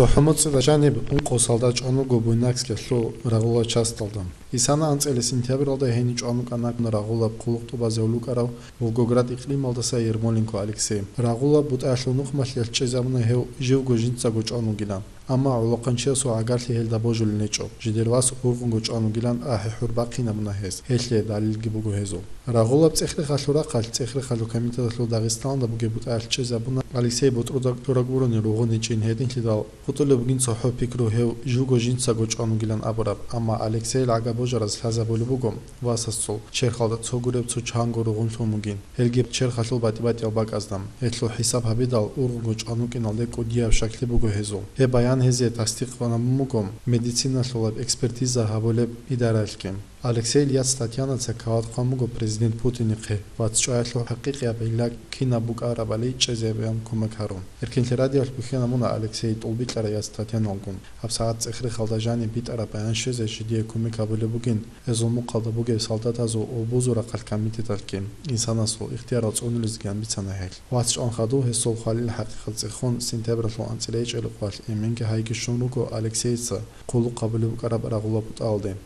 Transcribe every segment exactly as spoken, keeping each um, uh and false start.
ЦохӀо моцӀида жаниб ункъо солдат чӀван вуго Буйнакскиялъул рагъула часталда. Исана анцӀила сентябралда гьенив чӀван вукӀана рагъулаб хъулухъ тӀубазе гьавулукӀарав Волгоград икълималдаса Ермоленко Алексей. Рагъулаб бутӀаялъул нухмалъиялъ чӀезабуна гьев живго жинцаго чӀван вугилан. Амма гӀолохъанчиясул гӀагарлъи гьелда божулел гьечӀо, жидер вас ургъунго чӀван вугилан ахӀи-хӀур бахъинабуна гьес, гьелъие далилги буго гьезул. Рагъулаб цӀех-рехалъул рахъалъ цӀех-рехалъул комитеталъул Дагъистаналда бугеб бутӀаялъ чӀезабуна Алексей ботӀрузаб чураг бурони ругъун гьечӀин гьединлъидал хутӀулеб бугин цохӀо пикру гьев живго жинцаго чӀван вугилан абураб, амма Алексейил гӀага божараз лъазабулеб буго васасул черхалда цо гуреб цо чанго ругъунлъун вугин. Гьелги черхалъул батӀи-батӀиял бакӀазда. Гьелъул хӀисаб гьабидал, ургъунго чӀван вукӀиналде кӀудияб щаклъи буго гьезул. Гьеб баян гьезие тасдикъ гьабун буго медициналъулаб экспертиза гьабулеб идаралъги. Алексейил яц Татьянаца кават хъван буго президент Путинихъе, вацчӀваялъул хӀакъикъияб гӀилла кинаб букӀарабали чӀезабеян кумек гьарун. Эркинлъи радиоялъ бухьана муна Алексей тӀулбикьарай яц Татьяналгун. ГьабсагӀат цӀех-рехалда жаниб битӀараб баян щвезе жидее кумек гьабулеб бугин, гьезул мухъалда бугеб солдатазул ва бузул рахъалъ комитеталъги, инсанасул ихтиярал цӀунулезги бицана гьел. Вац чӀван хадуб гьесул хвалил хӀакъикъат цӀехун, сентябралъул анцӀила гьечӀеб къоялъ эменги гьайги щун руго Алексейица хъулухъ гьабулеб букӀараб рагъула бутӀаялде.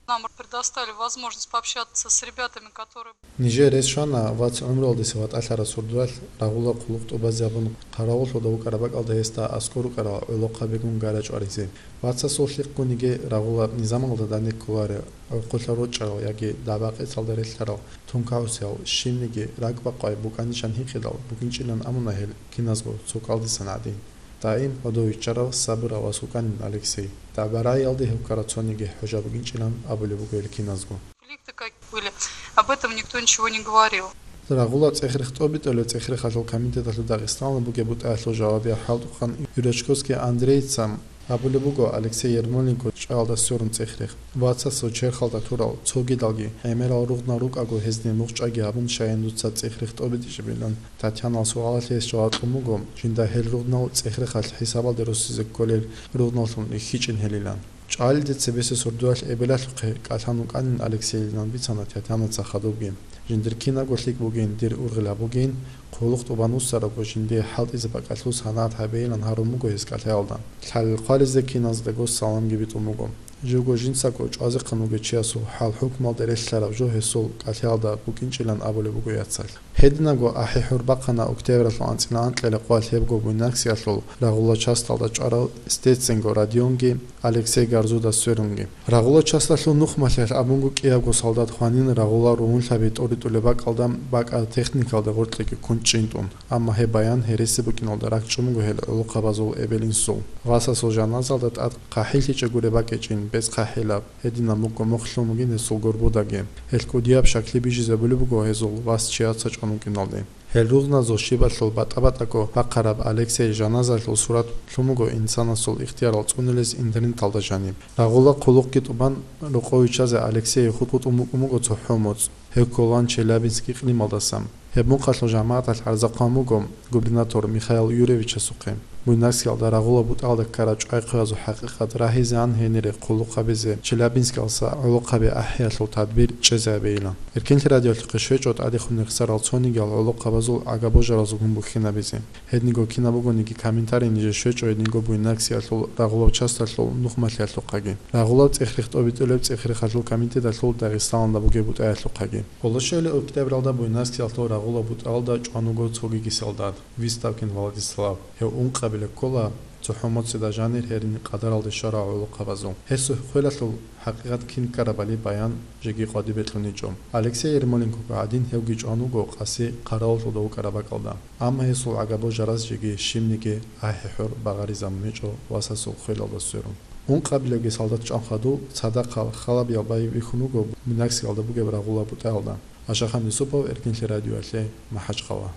Нам предоставили возможность пообщаться с ребятами, которые... Нижее рес щвана вац гӀумруялдаса ватӀалъараб сордоялъ рагъула хъулухъ тӀубазе гьабун, хъаравуллъуда вукӀараб бакӀалда гьесда аскӀор рукӀарал гӀолохъабигун гара чӀваризе. Вацасул лъикӀгун йиги рагъула низамалда данде кколарел, гӀурхъулъа рорчӀарал яги дагӀба-къецалда релълъарал тункагӀусиял, щибниги ракӀбакъвай букӀанилан гьикъидал букӀинчӀилан абуна гьел киназго цо кӀалдисан гӀадин. Даим гьодов виччарав, сабурав вас вукӀанин Алексей. ДагӀба-рагӀиялде гьев ккараб цониги хӀужа бугинчӀилан абулеб буго гьел киназго. Конфликты какие были, об этом никто ничего не говорил. Рагъула цӀех-рех тӀобитӀулеб цӀех-рехалъул комитеталъул Дагъистаналда бугеб бутӀаялъул жавабияв хӀалтӀухъан Юрачковский Андрейица абулеб буго Алексей Ермоленко чӀваялда сверун цӀех-рех. Вацасул черхалда турал, цогидалги гӀемерал ругънал рукӀаго гьезде мухъ чӀваги гьабун, щаян дуца цӀех-рех тӀобитӀичӀебилан Татьянал суалалъе гьес жаваб кьун буго, жинда гьел ругънал цӀех-рехалъ хӀисабалде руссизе кколел ругъналлъун рихьичӀин гьелилан. ЧӀалиде цебесеб сордоялъ эбелалъухъе кӀалъан вукӀанин Алексейилан бицана Татьянаца хадубги. Жиндир кинабго лъикӀ бугин, дир ургъел гьабугин, хъулухъ тӀубан вуссарабго жиндие хӀалтӀизе бакӀалъул санагӀат гьабейилан гьарун буго гьес кӀалъаялда. Лъалел хъвализе киназдаго саламги битӀун буго. Живго жинцаго чӀвазехъан вугев чиясул хӀал-хӀукмалде релълъараб жо гьесул кӀалъаялда букӀинчӀилан абулеб буго яцалъ. Гьединабго ахӀи-хӀур бахъана октябралъул анцӀила анкьила къоялъ гьебго Буйнакскиялъул рагъула часталда чӀварав Стеценго Родионги Алексей Гарзуда сверунги. Рагъула часталъул нухмалъиялъ абунго кӀиябго солдат хванин рагъула ругьунлъаби тӀоритӀулеб бакӀалда бакӀа техникалда гъоркьеги ккун чӀинтӀун. Амма гьеб баян гьереси букӀиналда ракӀчӀун буго гьел гӀолохъабазул эбел-инсул. Васасул жаназалда тӀад хъахӀиллъичӀеб гуреб бакӀичӀин, бецӀ хъахӀилаб, гьединаб мукӀго мухълъун бугин гьесул горбудаги. Гьел кӀудияб щаклъи бижизабулеб буго гьезул вас чияца чӀван вукӀиналде. Гьел ругъназул щибалъул батӀа-батӀаго бахъараб Алексей жаназалъул сурат лъун буго инсанасул ихтиярал цӀунулез интернеталда жаниб. Рагъула хъулухъги тӀубан рокъов виччазе Алексей хутӀун букӀун буго цохӀо моцӀ. Гьев кколаан Челябинск икълималдаса. Гьеб мухъалъул жамагӀаталъ гӀарза хъван буго губернатор Михаил Юрьевичасухъе. Буйнакскиялда рагъула бутӀалда ккараб чӀвай-хъваязул хӀакъикъат рагьизегӀан гьенире хъулухъ гьабизе Челябинскалъа гӀолохъаби ахӀиялъул тадбир чӀезабейилан. Эркинлъи радиоялъухъе щвечӀо тӀадехунехсарал цонигиял гӀолохъабазул гӀагабожаразулгун бухьинабизе. Гьединго кинаб бугониги комментарий ниже щвечӀо гьединго Буйнакскиялъул рагъулаб часталъул нухмалъиялъухъаги. Рагъулаб цӀех-рех тӀобитӀулеб цӀех-рехалъул комитеталъул Дагъистаналда бугеб бутӀаялъухъаги. Къоло щуабилеб октябралда Буйнакскиялъул рагъулаб бутӀалда чӀван вуго цогиги солдат, Выставкин Владислав. Гьев ункъабилеб ккола, цохӀо моцӀида жанир гьерин къадаралде щварал гӀолохъабазул. Гьесул хвелалъул хӀакъикъат кин ккарабали баян жеги къватӀибе кьуничӀо. Алексей Ермоленкого гӀадин гьевги чӀван вуго къаси хъаравуллъуда вукӀараб бакӀалда. Амма гьесул гӀагабожараз жеги щибниги ахӀи-хӀур багъаризабун гьечӀо васасул хвелалда сверун. Ункъабилебги солдат чӀван хадуб цадахъал халабиял байбихьун бихьун буго Буйнакскиялда бугеб рагъулаб бутӀаялда. Ашахан Юсупов, Эркинлъи радиоялъе, МахӀачхъала.